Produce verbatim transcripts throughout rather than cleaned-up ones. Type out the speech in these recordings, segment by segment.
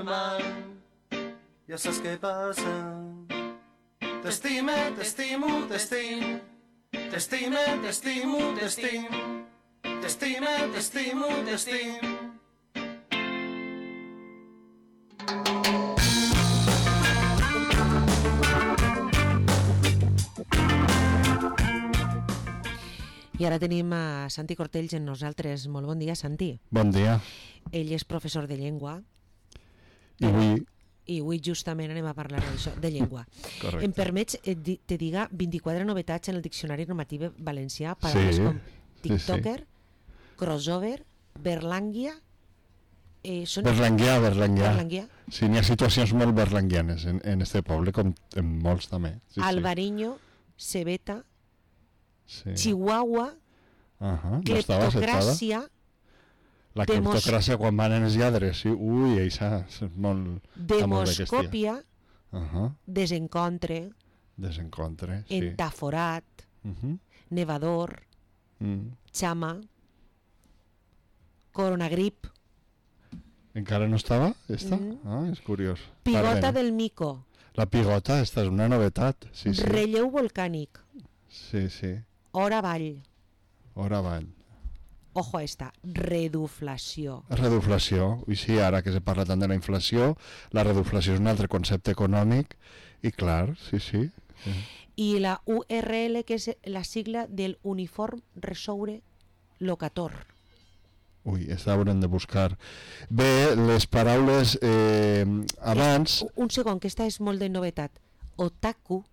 man, ja saps què passa. T'estime, t'estimo, t'estim, t'estime, t'estimo, t'estim, t'estime, t'estimo, t'estim. I ara tenim a Santi Cortells en nosaltres. Molt bon dia, Santi. Bon dia. Ell és professor de llengua. I avui... I avui justament anem a parlar d'això, de llengua. Correcte. Em permets que te diga vint-i-quatre novetats en el Diccionari Normatiu Valencià, paraules sí, com tiktoker, sí, sí. crossover, berlànguia... Eh, són... Berlanguià, berlanguià. berlanguià. Sí, n'hi ha situacions molt berlanguianes en, en este poble, com en molts també. Sí, Albariño, cebeta, sí. chihuahua, uh -huh. cleptocràcia... La Demos... cleptocràcia quan van els lladres, sí. Ui, això és molt... Demoscòpia, uh -huh. desencontre, desencontre, sí. entaforat, uh -huh. nevador, mm. xama, coronagrip. Encara no estava, esta? Mm. Ah, és curiós. Pigota Pardena. del mico. La pigota, esta és una novetat. Sí, sí. Relleu volcànic. Sí, sí. Hora avall. Hora avall. Ojo a esta, reduflació. Reduflació, i sí, ara que se parla tant de la inflació, la reduflació és un altre concepte econòmic, i clar, sí, sí. sí. I la U R L, que és la sigla del Uniform Resoure Locator. Ui, aquesta haurem de buscar. Bé, les paraules eh, abans... Un, un segon, que esta és molt de novetat. Otaku.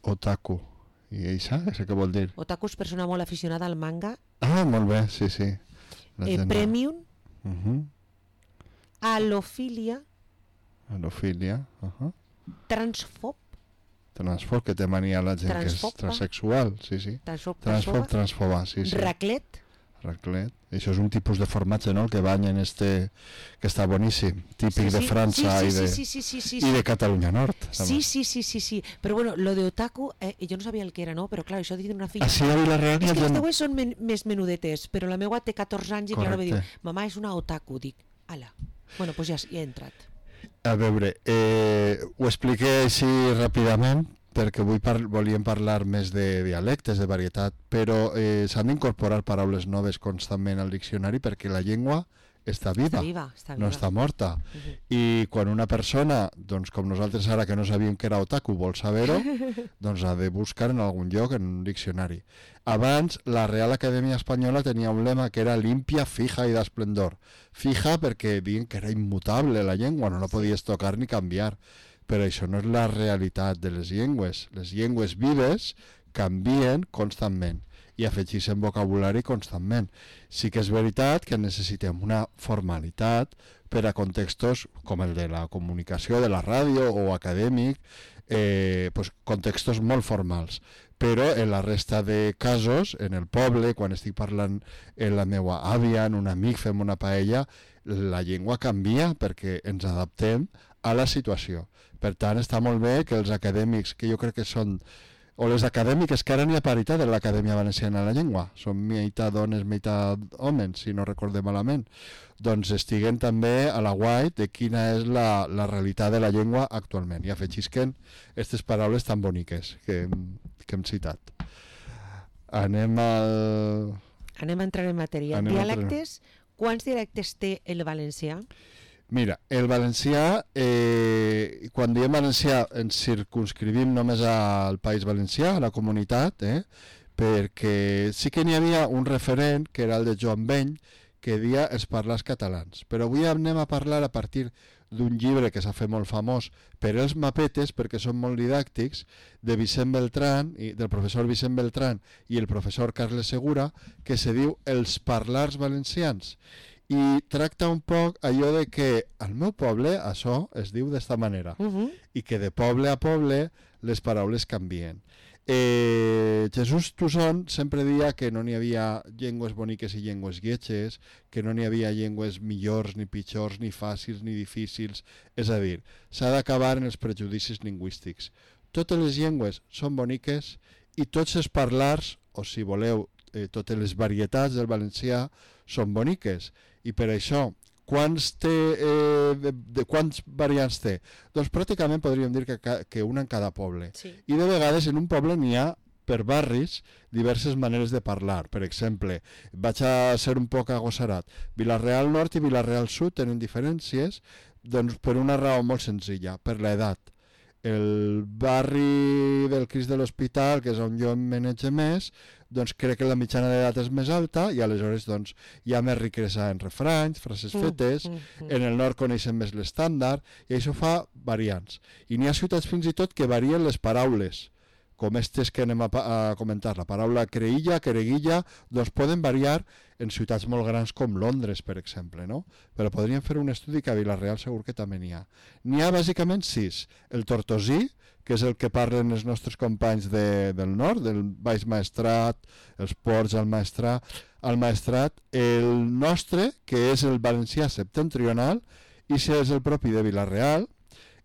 Otaku. I això, això què vol dir? Otaku és persona molt aficionada al manga. Ah, molt bé, sí, sí. Eh, premium. Uh -huh. Alofília. Alofília. Uh -huh. Transfob. Transfob, que té mania la gent Transfoba. que és transsexual, sí, sí. Transfob, Transfob, transfoba, sí, sí. Raclet. Raclet. Això és un tipus de formatge, no?, el que banyen este, que està boníssim, típic sí, sí. de França sí, sí, i, de, sí, sí, sí, sí, sí, i de Catalunya Nord. Sí, sí, sí, sí, sí. Però bueno, lo de otaku, eh, jo no sabia el que era, no? Però clar, això de tindre una filla... Ah, sí, a Vila-real... És que les no... teues són men més menudetes, però la meva té catorze anys i clar, va dir, Correcte. mamà, és una otaku. Dic, ala. Bueno, doncs ja, ja he entrat. A veure, eh, ho expliqué així ràpidament, perquè avui par volíem parlar més de dialectes, de varietat, però eh, s'han d'incorporar paraules noves constantment al diccionari perquè la llengua està viva, està viva, està viva. no està morta. Uh -huh. I quan una persona, doncs com nosaltres ara que no sabíem que era otaku, vol saber-ho, doncs ha de buscar en algun lloc, en un diccionari. Abans, la Real Acadèmia Espanyola tenia un lema que era limpia, fija i d'esplendor. Fija perquè diuen que era immutable la llengua, no la podies tocar ni canviar. Però això no és la realitat de les llengües. Les llengües vives canvien constantment i afegeixen vocabulari constantment. Sí que és veritat que necessitem una formalitat per a contextos com el de la comunicació, de la ràdio o acadèmic, eh, pues, contextos molt formals. Però en la resta de casos, en el poble, quan estic parlant amb la meva àvia, en un amic, fem una paella, la llengua canvia perquè ens adaptem a la situació. Per tant, està molt bé que els acadèmics, que jo crec que són, o les acadèmiques, que ara n'hi ha paritat en l'Acadèmia Valenciana de la Llengua, són meitat dones, meitat homes, si no recordem malament, doncs estiguen també a la guai de quina és la, la realitat de la llengua actualment, i afegisquen aquestes paraules tan boniques que, que hem citat. Anem al... Anem a entrar en matèria. Anem Dialectes, quants dialectes té el valencià? Mira, el valencià, eh, quan diem valencià ens circunscrivim només al País Valencià, a la comunitat, eh, perquè sí que n'hi havia un referent, que era el de Joan Beny, que deia els parlars catalans. Però avui anem a parlar a partir d'un llibre que s'ha fet molt famós per els mapetes, perquè són molt didàctics, de Vicent Beltrán, i, del professor Vicent Beltrán i el professor Carles Segura, que se diu Els parlars valencians. I tracta un poc allò de que al meu poble això es diu d'esta manera, Uh -huh. i que de poble a poble les paraules canvien. Eh, Jesús Toussaint sempre deia que no n'hi havia llengües boniques i llengües lletges, que no n'hi havia llengües millors ni pitjors, ni fàcils ni difícils. És a dir, s'ha d'acabar en els prejudicis lingüístics. Totes les llengües són boniques i tots els parlars, o si voleu, eh, totes les varietats del valencià són boniques. I per això, Quants, té, eh, de, de quants variants té? Doncs pràcticament podríem dir que, que una en cada poble. Sí. I de vegades en un poble n'hi ha per barris diverses maneres de parlar. Per exemple, vaig a ser un poc agossarat. Vilareal Nord i Vilareal Sud tenen diferències doncs, per una raó molt senzilla, per l'edat. El barri del Crist de l'Hospital, que és on jo em manege més, doncs crec que la mitjana d'edat és més alta i aleshores doncs, hi ha més riquesa en refranys, frases fetes, mm, mm, mm. En el nord coneixen més l'estàndard i això fa variants. I n'hi ha ciutats fins i tot que varien les paraules, com aquestes que anem a, a comentar, la paraula creïlla, creguilla, doncs poden variar en ciutats molt grans com Londres, per exemple, no? Però podríem fer un estudi que a Vila-real segur que també n'hi ha. N'hi ha bàsicament sis. El tortosí, que és el que parlen els nostres companys de, del nord, del Baix Maestrat, els Ports, el Maestrat, el Maestrat, el nostre, que és el valencià septentrional, i si és el propi de Vila-real,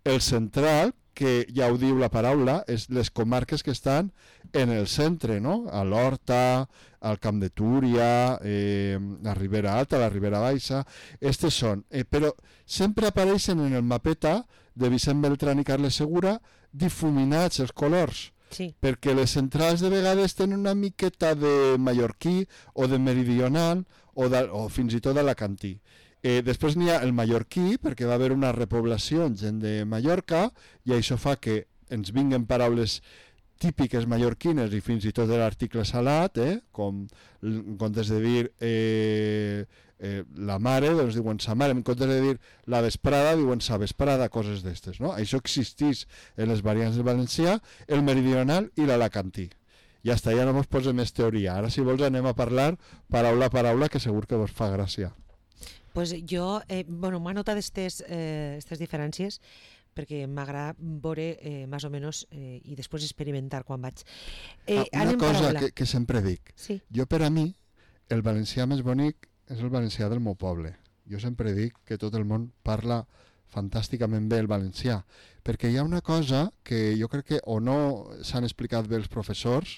el central, que ja ho diu la paraula, és les comarques que estan en el centre, no? A l'Horta, al Camp de Túria, eh, la Ribera Alta, la Ribera Baixa, estes són. Eh, però sempre apareixen en el mapeta de Vicent Beltrán i Carles Segura difuminats els colors, sí. Perquè les centrals de vegades tenen una miqueta de mallorquí o de meridional o, de, o fins i tot d'alacantí. Eh, després n'hi ha el mallorquí, perquè va haver una repoblació en gent de Mallorca, i això fa que ens vinguen paraules típiques mallorquines i fins i tot de l'article salat, eh? Com en comptes de dir eh, eh, la mare, doncs diuen sa mare, en comptes de dir la vesprada, diuen sa vesprada, coses d'estes, no? Això existeix en les variants del valencià, el meridional i l'alacantí. Ja està, ja no vos posem més teoria. Ara, si vols, anem a parlar paraula a paraula, que segur que vos fa gràcia. Pues jo, eh, bueno, m'ha notat aquestes eh, diferències perquè m'agrada veure eh, més o menys eh, i després experimentar quan vaig. Eh, ah, una cosa que, que sempre dic. Sí. Jo, per a mi, el valencià més bonic és el valencià del meu poble. Jo sempre dic que tot el món parla fantàsticament bé el valencià, perquè hi ha una cosa que jo crec que o no s'han explicat bé els professors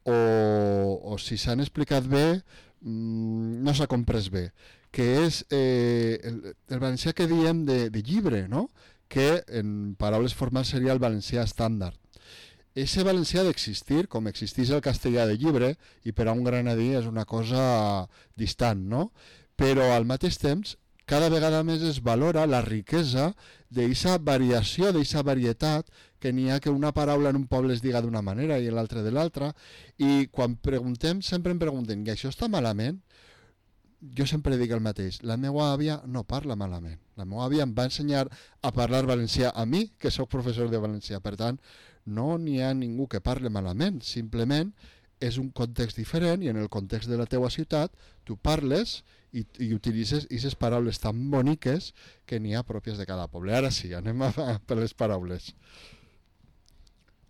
o, o si s'han explicat bé mmm, no s'ha comprès bé, que és eh, el, el valencià que diem de, de llibre, no? Que en paraules formals seria el valencià estàndard. Ese valencià d'existir, com existeix el castellà de llibre, i per a un granadí és una cosa distant, no? Però al mateix temps, cada vegada més es valora la riquesa d'aquesta variació, d'aquesta varietat, que n'hi ha que una paraula en un poble es diga d'una manera i l'altra de l'altra, i quan preguntem, sempre em pregunten, i això està malament? Jo sempre dic el mateix, la meva àvia no parla malament. La meva àvia em va ensenyar a parlar valencià a mi, que sóc professor de valencià. Per tant, no n'hi ha ningú que parle malament, simplement és un context diferent i en el context de la teua ciutat tu parles i, i utilitzes aquestes paraules tan boniques que n'hi ha pròpies de cada poble. Ara sí, anem a, a per les paraules.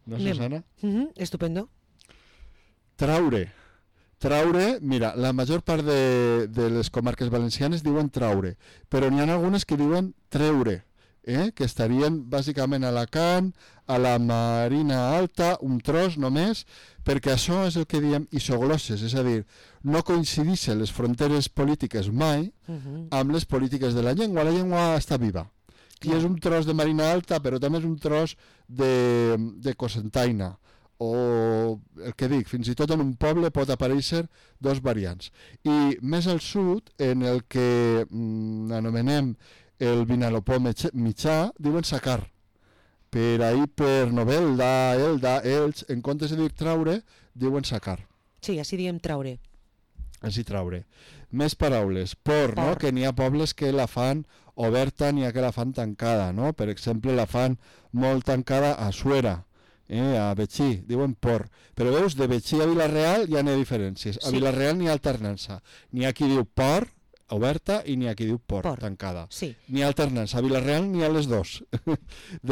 No, Susana? Mm-hmm, estupendo. Traure. Traure, mira, la major part de, de les comarques valencianes diuen traure, però n'hi ha algunes que diuen treure, eh? Que estarien bàsicament a Alacant, a la Marina Alta, un tros només, perquè això és el que diem isoglosses, és a dir, no coincideixen les fronteres polítiques mai uh-huh. amb les polítiques de la llengua, la llengua està viva. I és un tros de Marina Alta, però també és un tros de, de Cocentaina, o el que dic, fins i tot en un poble pot aparèixer dos variants. I més al sud, en el que mm, anomenem el Vinalopó mitjà, diuen sacar. Per ahir per Novelda, Elda, Elx, en comptes de dir traure, diuen sacar. Sí, així diem traure. Així traure. Més paraules. Por, por. No? Que n'hi ha pobles que la fan oberta, n'hi ha que la fan tancada, no? Per exemple, la fan molt tancada a Suera. Eh, a Betxí, diuen por. Però veus, de Betxí a Vila-real hi ha diferències. A sí. Vila-real n'hi ha alternança. N'hi ha qui diu por, oberta, i n'hi ha qui diu por, por. tancada. Sí. N'hi ha alternança. A Vila-real n'hi ha les dos.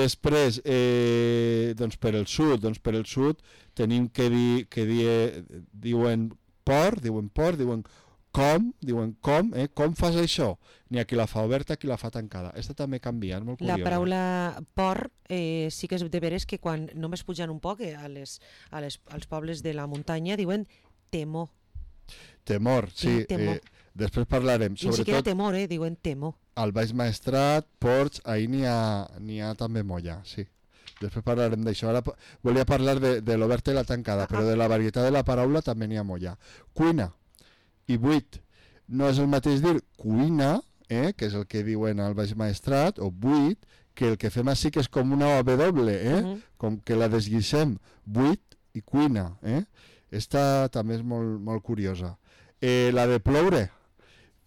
Després, eh, doncs per el sud, doncs per el sud tenim que dir, que die, diuen por, diuen por, diuen com, diuen com, eh? Com fas això? N'hi ha qui la fa oberta, qui la fa tancada. Aquesta també canvia, és molt curiosa. La paraula por eh, sí que és de veres que quan només pujan un poc eh, a les, a les, als pobles de la muntanya diuen temor. Temor, sí. Temor. Eh, després parlarem. I ni siquiera tot... temor, eh, diuen temor. al Baix Maestrat, Ports, ahir n'hi ha, n'hi ha també molla, sí. Després parlarem d'això. Ara volia parlar de, de l'oberta i la tancada, ah, però de la varietat de la paraula també n'hi ha molla. Cuina i buit. No és el mateix dir cuina, eh, que és el que diuen al Baix Maestrat, o buit, que el que fem així que és com una W, eh? Uh-huh. Com que la desguixem, buit i cuina. Eh? Esta també és molt, molt curiosa. Eh, la de ploure.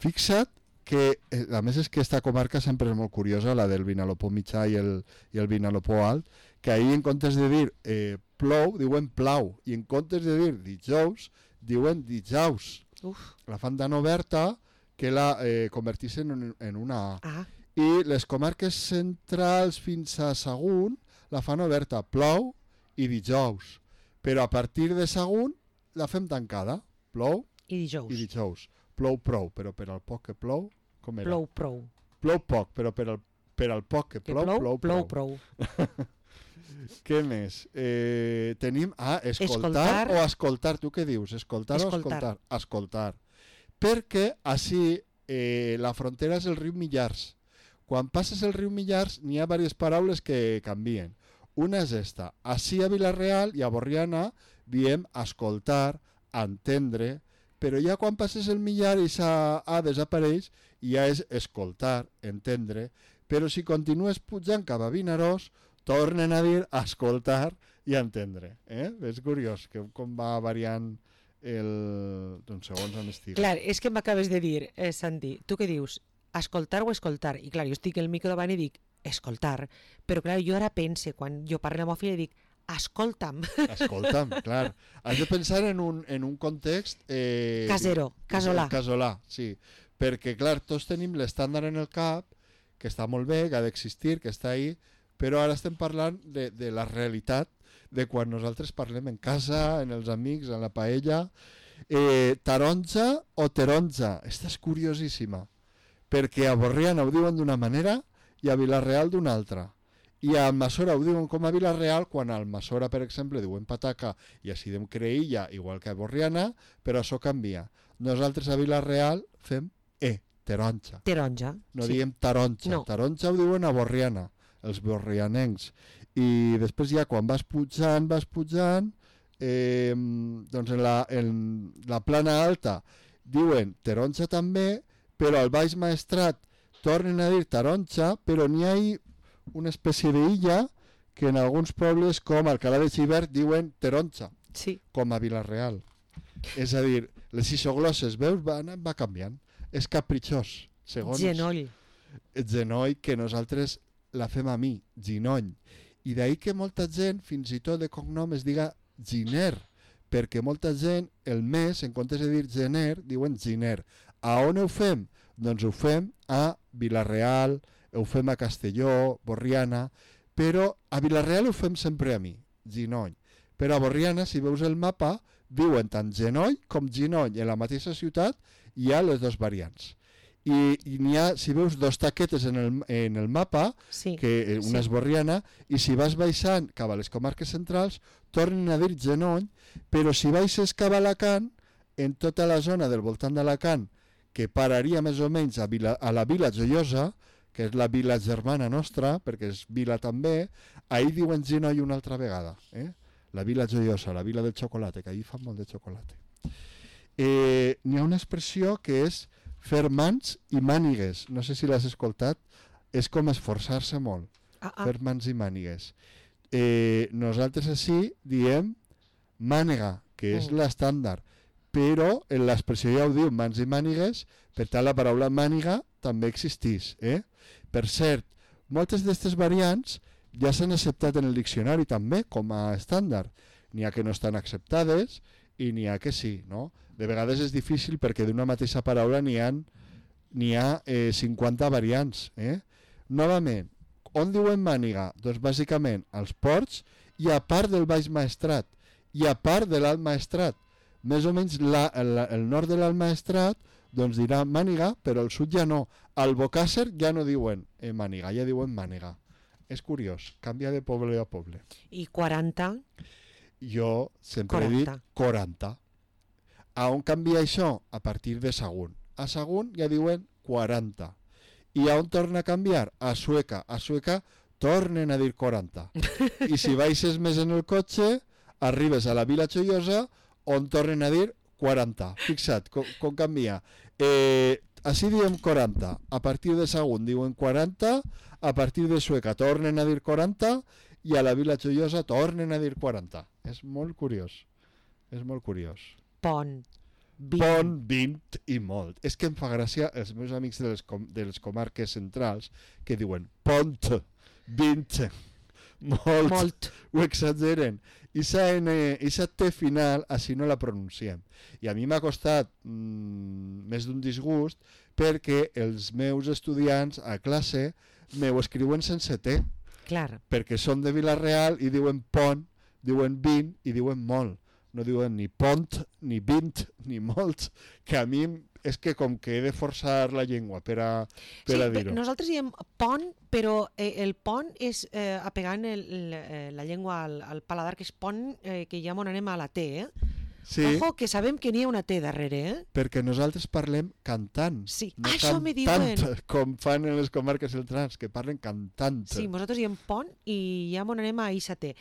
Fixa't que, eh, a més és que esta comarca sempre és molt curiosa, la del Vinalopó mitjà i el, i el Vinalopó alt, que ahir en comptes de dir eh, plou, diuen plau, i en comptes de dir dijous, diuen dijous. Uf. La fan tan oberta que la eh, converteixen en, en una A. Ah. I les comarques centrals fins a Sagunt la fan oberta, plou i dijous. Però a partir de Sagunt la fem tancada, plou i dijous. I dijous. Plou prou, però per al poc que plou, com era? Plou prou. Plou poc, però per al, per al poc que, que plou, plou, plou, plou prou. Què més? Eh, tenim, ah, escoltar, escoltar o escoltar, tu què dius? Escoltar, escoltar. o escoltar? Escoltar. Perquè així eh, la frontera és el riu Millars. Quan passes el riu Millars n'hi ha diverses paraules que canvien. Una és esta. Així a Vila-real i a Borriana diem escoltar, entendre, però ja quan passes el Millar i s'ha A desapareix i ja és escoltar, entendre, però si continues pujant cap a Vinaròs tornen a dir escoltar i entendre. Eh? És curiós que com va variant el... doncs segons on estigui. Clar, és que m'acabes de dir, eh, Santi, tu què dius? Escoltar o escoltar? I clar, jo estic al micro davant i dic escoltar, però clar, jo ara pense, quan jo parlo amb la meva filla dic escolta'm. Escolta'm, clar. Has de pensar en un, en un context... Eh, casero, casolà. Casolà, sí. Perquè, clar, tots tenim l'estàndard en el cap, que està molt bé, que ha d'existir, que està ahí, però ara estem parlant de, de la realitat de quan nosaltres parlem en casa, en els amics, en la paella. Eh, taronja o taronja? Esta és curiosíssima, perquè a Borriana ho diuen d'una manera i a Vila-real d'una altra. I a Almassora ho diuen com a Vila-real, quan a Almassora, per exemple, diuen pataca i així diem creïlla, igual que a Borriana, però això canvia. Nosaltres a Vila-real fem E, taronja. Taronja. No sí. Diem taronja. No. Taronja ho diuen a Borriana, els borrianencs. I després ja quan vas pujant, vas pujant, eh, doncs en la, en la plana alta diuen taronja també, però al Baix Maestrat tornen a dir taronja, però n'hi ha una espècie d'illa que en alguns pobles com Alcalà de Xivert diuen taronja, sí. Com a Vila-real. És a dir, les isoglosses, veus, va, va canviant. És capritxós, segons... Genoll. Genoll, que nosaltres la fem a mi, ginoll. I d'ahir que molta gent, fins i tot de cognom, es diga giner, perquè molta gent, el mes, en comptes de dir gener, diuen giner. A on ho fem? Doncs ho fem a Vila-real, ho fem a Castelló, Borriana, però a Vila-real ho fem sempre a mi, ginoll. Però a Borriana, si veus el mapa, diuen tant genoll com ginoll. En la mateixa ciutat hi ha les dues variants. I, i n'hi ha, si veus, dos taquetes en el, en el mapa, sí, que una sí. És Borriana, i si vas baixant cap a les comarques centrals, tornen a dir genoll, però si baixes cap a Alacant, en tota la zona del voltant d'Alacant, que pararia més o menys a, Vila, a la Vila Joiosa, que és la vila germana nostra, perquè és vila també, ahir diuen genoll una altra vegada. Eh? La Vila Joiosa, la vila del xocolate, que ahir fan molt de xocolate. Eh, n'hi ha una expressió que és fer mans i mànigues. No sé si l'has escoltat. És com esforçar-se molt. Ah, ah. Fer mans i mànigues. Eh, nosaltres així diem mànega, que és mm. l'estàndard. Però en l'expressió ja ho diu, mans i mànigues, per tant la paraula màniga també existeix. Eh? Per cert, moltes d'aquestes variants ja s'han acceptat en el diccionari també com a estàndard. N'hi ha que no estan acceptades i n'hi ha que sí. No? De vegades és difícil perquè d'una mateixa paraula n'hi ha, n'hi ha eh, cinquanta variants. Eh? Novament, on diuen màniga? Doncs bàsicament als ports i a part del Baix Maestrat i a part de l'Alt Maestrat. Més o menys la, el, el nord de l'Alt Maestrat doncs dirà màniga, però al sud ja no. Al Bocàsser ja no diuen eh, màniga, ja diuen màniga. És curiós, canvia de poble a poble. I quaranta? Jo sempre quaranta. He dit quaranta. A on canvia això? A partir de Sagunt. A Sagunt ja diuen quaranta. I on torna a canviar? A Sueca. A Sueca tornen a dir quaranta. I si baixes més en el cotxe, arribes a la Vila Joiosa, on tornen a dir quaranta. Fixa't com, com canvia. Eh, així diem quaranta. A partir de Sagunt diuen quaranta, a partir de Sueca tornen a dir quaranta i a la Vila Joiosa tornen a dir quaranta. És molt curiós. És molt curiós. Pont. vint. Pont, vint i molt. És que em fa gràcia els meus amics de les, com, de les comarques centrals que diuen pont, vint, molt, Molt. ho exageren. I aquesta T final així no la pronunciem. I a mi m'ha costat mmm, més d'un disgust perquè els meus estudiants a classe m'ho escriuen sense T. Clar. Perquè són de Vila-real i diuen pont, diuen vint i diuen molt. No diuen ni pont, ni vint, ni molt, que a mi és que com que he de forçar la llengua per a, per sí, a dir-ho. Nosaltres diem pont, però eh, el pont és eh, apegant el, el, la llengua al, al paladar, que és pont, eh, que ja m'on anem a la T, eh? Sí, Ojo, que sabem que n'hi ha una T darrere, eh? perquè nosaltres parlem cantant. Sí, no això me cantant, diuen. com fan en les comarques centrals, que parlen cantant. Sí, nosaltres diem pont i ja m'on anem a eixa T.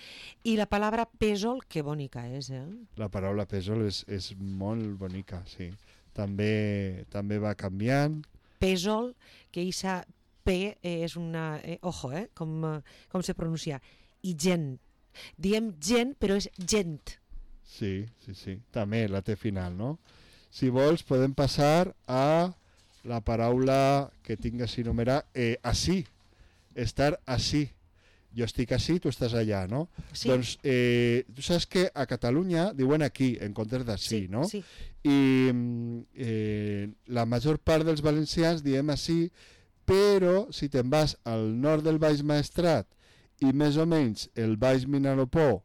I la paraula pèsol, que bonica és, eh? La paraula pèsol és, és molt bonica, sí. També, també va canviant. Pèsol, que eixa P eh, és una... Eh, ojo, eh? Com, eh, com se pronuncia. I gent. Diem gent, però és gent. Sí, sí, sí. També la T final, no? Si vols, podem passar a la paraula que tinc així numerar, eh, així. Estar així. Jo estic així, tu estàs allà, no? Sí. Doncs eh, tu saps que a Catalunya diuen aquí, en comptes d'ací, Sí, no? sí. I eh, la major part dels valencians diem així, però si te'n vas al nord del Baix Maestrat i més o menys el Baix Vinalopó,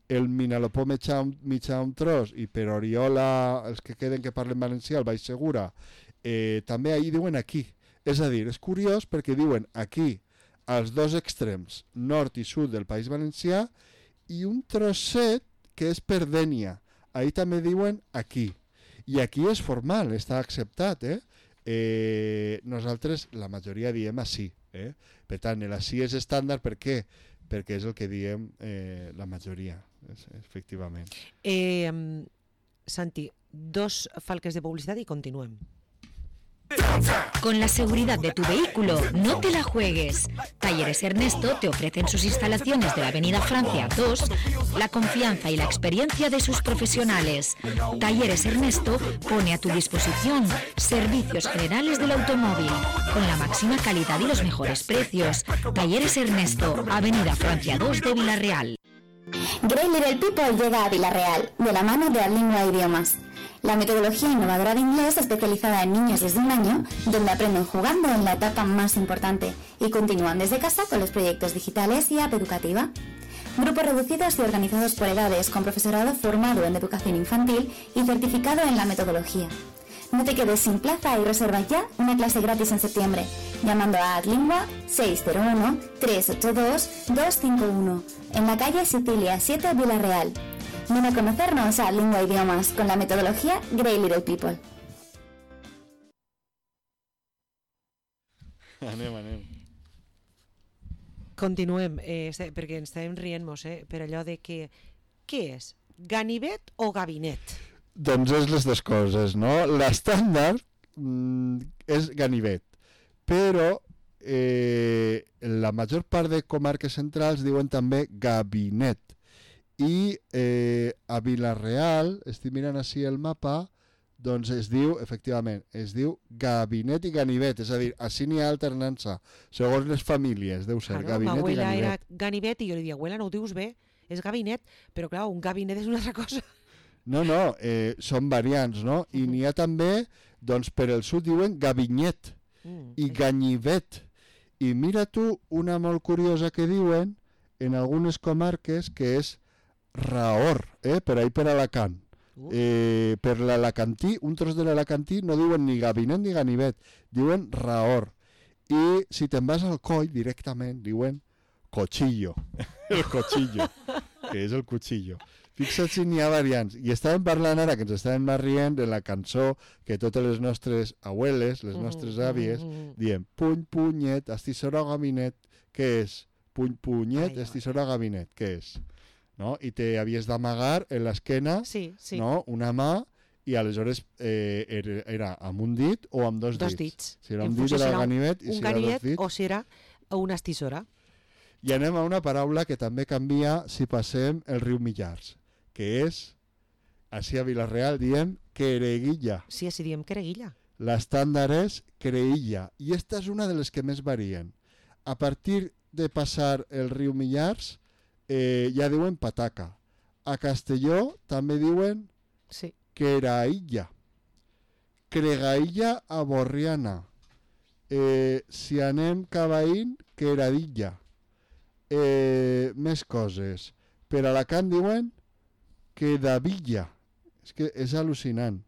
el Vinalopó mitjà, mitjà un tros, i per Oriola, els que queden que parlen valencià, el Baix Segura, eh, també ahir diuen aquí. És a dir, és curiós perquè diuen aquí als dos extrems, nord i sud del País Valencià, i un trosset que és per Dénia. Ahir també diuen aquí. I aquí és formal, està acceptat, eh? eh nosaltres, la majoria, diem així. Eh? Per tant, l'ací és estàndard, per què? Perquè és el que diem eh, la majoria, efectivament. Eh, Santi, dos falques de publicitat i continuem. Con la seguridad de tu vehículo, no te la juegues. Talleres Ernesto te ofrecen sus instalaciones de la Avenida Francia dos, la confianza y la experiencia de sus profesionales. Talleres Ernesto pone a tu disposición servicios generales del automóvil, con la máxima calidad y los mejores precios. Talleres Ernesto, Avenida Francia dos de Vila-real. Great Little People llega a Vila-real, de la mano de Adlingua Idiomas. La metodología innovadora de inglés especializada en niños desde un año, donde aprenden jugando en la etapa más importante y continúan desde casa con los proyectos digitales y app educativa. Grupos reducidos y organizados por edades, con profesorado formado en educación infantil y certificado en la metodología. No te quedes sin plaza y reserva ya una clase gratis en septiembre, llamando a Adlingua seis cero uno, tres ocho dos, dos cinco uno, en la calle Sicilia siete, Vila-real. Ven a conocernos a Adlingua Idiomas con la metodología Great Little People. Anem, anem. Continuem, eh, perquè ens estàvem rient-nos, eh, per allò de que... Què és? Ganivet o gabinet? Doncs és les dues coses, no? L'estàndard mm, és ganivet, però eh, la major part de comarques centrals diuen també gabinet. I eh, a Vila-real, estic mirant així el mapa, doncs es diu, efectivament, es diu gabinet i ganivet, és a dir, així n'hi ha alternança, segons les famílies, deu ser, Claro, gabinet i m'abuela era ganivet. ganivet i jo li dic, abuela, no ho dius bé, és gabinet, però clar, un gabinet és una altra cosa. No, no, eh, són variants, no? I n'hi ha també, doncs per el sud diuen gabinet Mm, i ganivet. I mira tu una molt curiosa que diuen en algunes comarques que és Rahor, eh? Per ahí per Alacant. Uh. Eh, per l'alacantí, un tros de l'alacantí no diuen ni gabinet ni ganivet, diuen Rahor. I si te'n vas al coll directament diuen cochillo, el cochillo, que és el cuchillo. Fixa't si n'hi ha variants. I estàvem parlant ara, que ens estàvem rient de la cançó que totes les nostres abueles, les nostres àvies, diem puny, punyet, estissora o gabinet, què és? Puny, punyet, estissora o gabinet, què és? No? I te havies d'amagar en l'esquena, sí, sí. no? Una mà, i aleshores eh, era, era amb un dit o amb dos, dos dits. dits. Si era un dit era el ganivet i un si era dos dits... o si era una estissora. I anem a una paraula que també canvia si passem el riu Millars, que és, així a Vila-real diem quereguilla. Sí, així diem quereguilla. L'estàndard és creïlla, i esta és una de les que més varien. A partir de passar el riu Millars, eh, ja diuen pataca. A Castelló també diuen sí. queraïlla. Cregaïlla a Borriana. Eh, si anem cavaïn, queradilla. Eh, més coses. Per Alacant diuen quedavilla. És que és al·lucinant.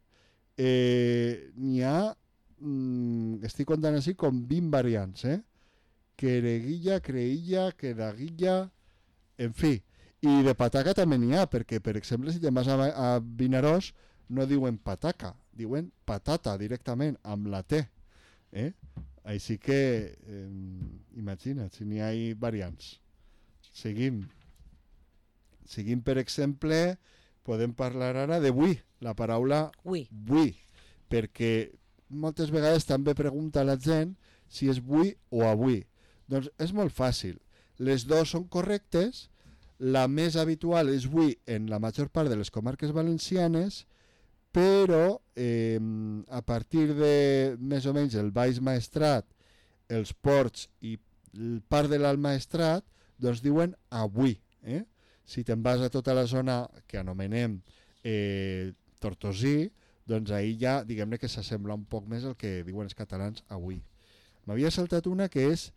Eh, n'hi ha, mm, estic contant així com vint variants, eh? Quereguilla, creïlla, quedaguilla, en fi. I de pataca també n'hi ha, perquè, per exemple, si te'n vas a, a Vinaròs, no diuen pataca, diuen patata directament, amb la T. Eh? Així que, eh, imagina't, si n'hi ha variants. Seguim. Seguim, per exemple, podem parlar ara de buí, la paraula buí, buí, perquè moltes vegades també pregunta la gent si és buí o avui. Doncs és molt fàcil. Les dues són correctes. La més habitual és buí en la major part de les comarques valencianes, però eh, a partir de més o menys el Baix Maestrat, els Ports i part de l'Alt Maestrat, doncs diuen avui. Eh? Si te'n vas a tota la zona que anomenem eh, Tortosí, doncs ahir ja, diguem-ne que s'assembla un poc més al que diuen els catalans avui. M'havia saltat una que és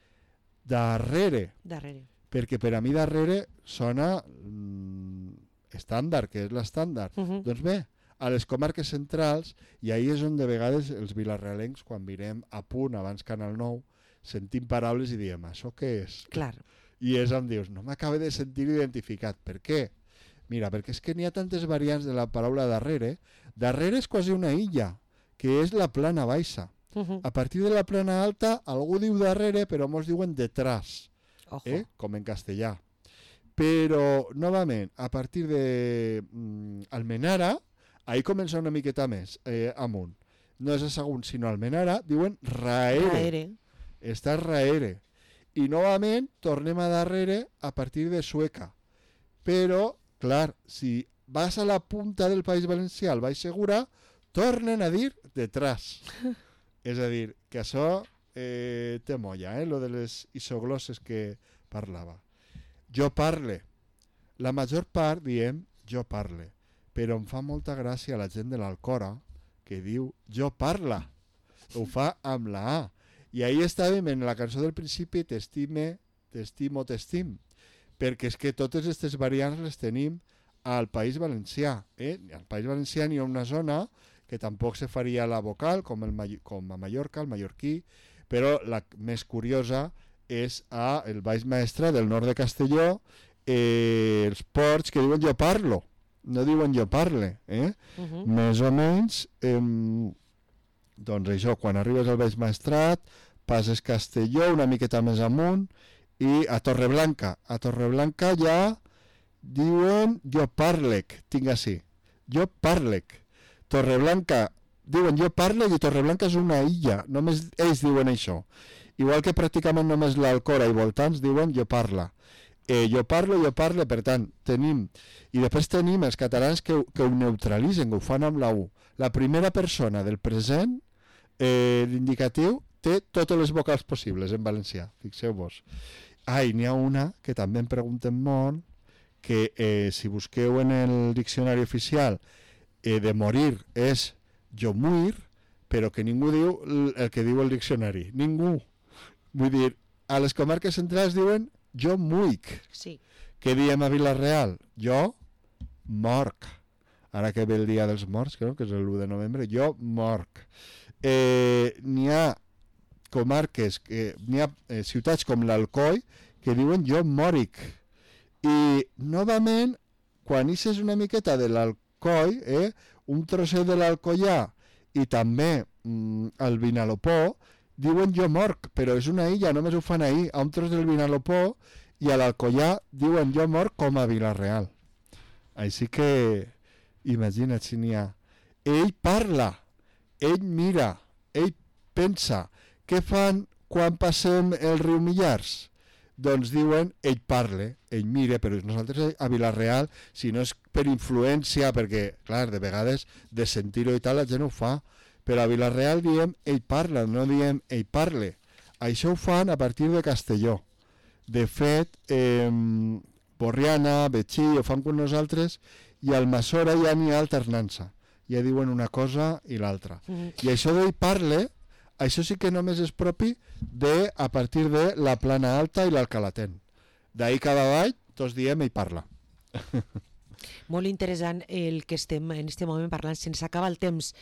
darrere. Darrere. Perquè per a mi darrere sona mm, estàndard, que és l'estàndard. Uh -huh. Doncs bé, a les comarques centrals, i ahir és on de vegades els vilarrealencs, quan mirem a punt abans Canal nou, sentim paraules i diem, això què és? Clar. I és on dius, no m'acabo de sentir identificat. Per què? Mira, perquè és que n'hi ha tantes variants de la paraula darrere. Darrere és quasi una illa, que és la plana baixa. Uh -huh. A partir de la plana alta, algú diu darrere, però molts diuen detrás, eh? Com en castellà. Però, novament, a partir de mm, Almenara, ahí comença una miqueta més, eh, amunt. No és a Sagunt, sinó Almenara, diuen raere. Raere. Està raere. I novament tornem a darrere a partir de Sueca. Però, clar, si vas a la punta del País Valencià, al Baix Segura, tornen a dir detrás. És a dir, que això eh, té molla, eh, lo de les isoglosses que parlava. Jo parle. La major part diem jo parle, però em fa molta gràcia la gent de l'Alcora que diu jo parla. Ho fa amb la A. I ahir estàvem en la cançó del principi, t'estime, t'estimo, t'estim, perquè és que totes aquestes variants les tenim al País Valencià. Eh? Al País Valencià n'hi ha una zona que tampoc se faria la vocal, com, el, com a Mallorca, el mallorquí, però la més curiosa és a el Baix Maestrat del nord de Castelló, eh, els Ports que diuen jo parlo, no diuen jo parle. Eh? Uh -huh. Més o menys, eh, doncs això, quan arribes al Baix Maestrat, passes Castelló una miqueta més amunt i a Torreblanca. A Torreblanca ja diuen jo parlec, tinc així, jo parlec. Torreblanca diuen jo parlec i Torreblanca és una illa, només ells diuen això. Igual que pràcticament només l'Alcora i voltants diuen jo parla. Eh, jo parlo, jo parle, per tant, tenim... I després tenim els catalans que, que ho neutralitzen, que ho fan amb la U. La primera persona del present, eh, l'indicatiu, té totes les vocals possibles en valencià, fixeu-vos. Ah, i n'hi ha una que també em pregunten molt, que eh, si busqueu en el diccionari oficial eh, de morir és jo muir, però que ningú diu el que diu el diccionari. Ningú. Vull dir, a les comarques centrals diuen jo muic. Sí. Què diem a Vila-real? Jo morc. Ara que ve el dia dels morts, crec que és l'u de novembre, jo morc. Eh, n'hi ha comarques, que, n'hi ha eh, ciutats com l'Alcoi que diuen jo mòric. I novament quan ixes una miqueta de l'Alcoi, eh, un trosset de l'Alcoià i també mm, el Vinalopó, diuen jo morc, però és una illa, només ho fan ahir, a un tros del Vinalopó, i a l'Alcoià diuen jo morc com a Vila-real. Així que, imagina't si n'hi ha. Ell parla, ell mira, ell pensa. Què fan quan passem el riu Millars? Doncs diuen, ell parle, ell mire, però nosaltres a Vila-real, si no és per influència, perquè, clar, de vegades de sentir-ho i tal, la gent ho fa, però a Vila-real diem, ell parla, no diem, ell parle. Això ho fan a partir de Castelló. De fet, eh, Borriana, Betxí, ho fan amb nosaltres, i al Masora ja n'hi ha alternança. Ja diuen una cosa i l'altra. Mm-hmm. I això d'ell parle, això sí que només és propi de, a partir de la Plana Alta i l'Alcalatén. D'ahir cada avall, tots diem ell parla. Molt interessant el que estem en aquest moment parlant. Se'ns acaba el temps.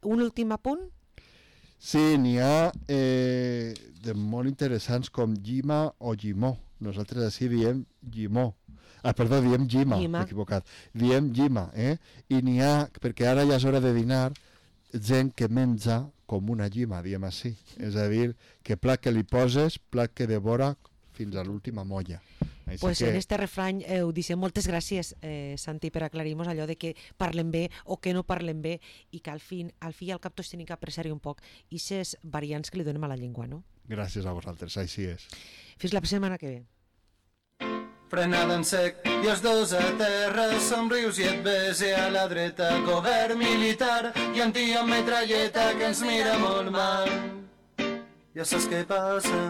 Un últim apunt? Sí, n'hi ha eh, de molt interessants com Llima o Llimó. Nosaltres així diem Llimó. Ah, perdó, diem Llima, m'he equivocat. Diem Llima, eh? I n'hi ha, perquè ara ja és hora de dinar, gent que menja com una llima, diem així. És a dir, que plat que li poses, plat que devora fins a l'última molla. Doncs pues que... en este refrany eh, ho dicen. Moltes gràcies, eh, Santi, per aclarir-nos allò de que parlen bé o que no parlen bé i que al, fin, al fi i al cap tots tenim que apreciar-hi un poc i aquestes variants que li donem a la llengua, no? Gràcies a vosaltres, així és. Fins la setmana que ve. Frenada en sec i els dos a terra, somrius i et bese a la dreta, govern militar i un tio amb metralleta que ens mira molt mal. Ja saps què passa.